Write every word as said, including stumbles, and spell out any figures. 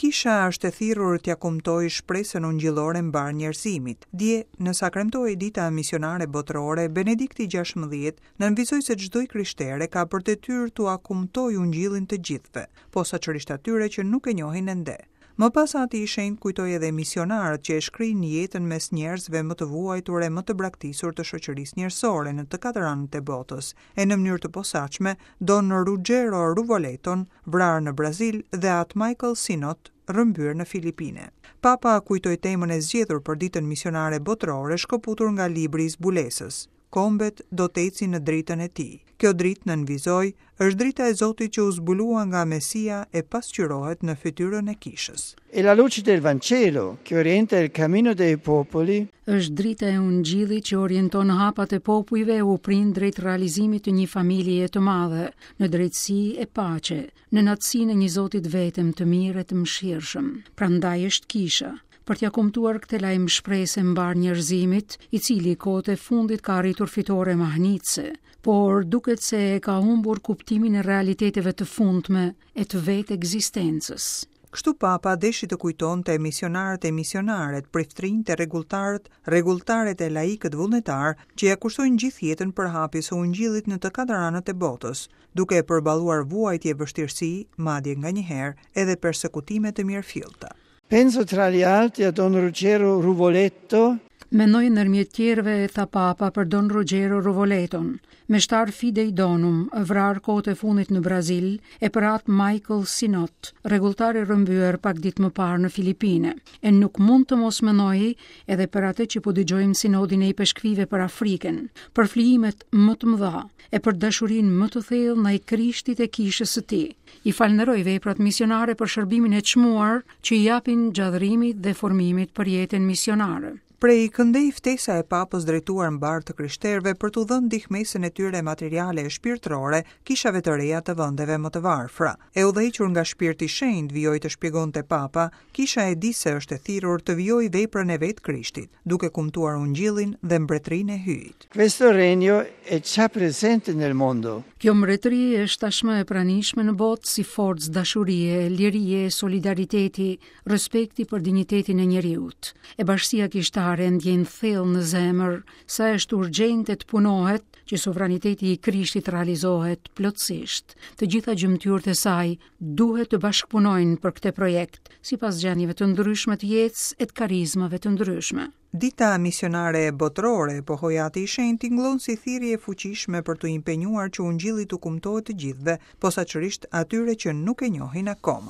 Kisha është e thirrur t'ia kumtojë shpresën ungjillore mbarë njerëzimit. Dje, në sakremtohej dita misionare botërore, Benedikti gjashtëmbëdhjetë nënvizoi se çdo i krishtere ka për detyrë t'ua kumtojë ungjillin të gjithëve, posaçërisht atyre që nuk e njohin ende. Më pas Ati i Shenjtë kujtoi edhe misionarët që e shkrijnë jetën mes njerëzve më të vuajtur e më të braktisur të shoqërisë njerëzore në të katër anët e botës, e në mënyrë të posaçme Don Ruggero Ruvoleton, vrarë në Brazil, dhe At Michael Sinot, rrëmbyer në Filipine. Papa kujtoi temën e zgjedhur për ditën misionare botërore shkëputur nga libri i zbulesës. Kombet do të ecin në dritën e tij. Kjo dritë nënvizoi është drita e Zotit që u zbulua nga Mesia e pasqyrohet në fytyrën e kishës. È la luce del Vangelo che orienta il cammino dei popoli. Është drita e Ungjillit që orienton hapat e popujve e u prin drejt realizimit të një familjeje të madhe, në drejtësi e paqe, në natësinë e një Zotit vetëm të mirë e të mëshirshëm. Prandaj është kisha për t'ja kumtuar këtë lajm shpresë mbarë njerëzimit, i cili kohët e fundit ka arritur fitore mahnitëse, por duket se e ka humbur kuptimin e realiteteve të fundme e të vetë ekzistencës. Kështu Papa deshi të kujtonte misionarët e misionaret, priftrinjtë e rregulltarët, rregulltaret e laikët vullnetar që ja kushtojnë gjithë jetën për hapjes së ungjillit në të katër anët e botës, duke e përballuar vuajtje e vështirësi, madje nganjëherë edhe persekutime të mirëfillta. Penso tra gli altri a Don Ruggero Ruvoletto. Mendoj ndërmjet tjerëve, tha Papa, për Don Ruggero Ruvoleton, meshtar Fidei Donum, vrarë kohët e fundit në Brazil, e për atë Michael Sinot, rregulltar i rrëmbyer pak ditë më parë në Filipine. E nuk mund të mos mendoj edhe për atë që po dëgjojmë sinodin e ipeshkvive për Afrikën, për flijimet më të mëdha e për dashurinë më të thellë ndaj Krishtit e kishës së tij. I falënderoj veprat misionare për shërbimin e çmuar që i japin gjallërimit dhe formimit për jetën misionare. Prej këndej ftesa e Papës drejtuar mbarë të krishterëve për t'u dhënë ndihmesën e tyre materiale e shpirtërore kishave të reja të vendeve më të varfra. E udhëhequr nga Shpirti i Shenjtë, vijoi të shpjegonte Papa, kisha e di se është e thirrur të vijojë veprën e vetë Krishtit, duke kumtuar ungjillin dhe mbretërinë e Hyjit. Questo regno è già presente nel mondo. Kjo mbretëri është tashmë e pranishme në botë si forcë dashurie, lirie, solidariteti, respekti për dinjitetin e njeriut. E bashkësia kishtare ndjen thellë në zemër sa është urgjente të punohet që sovraniteti i Krishtit realizohet plotësisht. Të gjitha gjymtyrët e saj duhet të bashkëpunojnë për këtë projekt, sipas gjendjeve të ndryshme të jetës e të karizmave të ndryshme. Dita misionare botërore, pohoi Ati i Shenjtë, tingëllon si thirrje e fuqishme për t'u impenjuar që ungjilli t'u kumtohet të gjithëve, posaçërisht atyre që nuk e njohin akoma.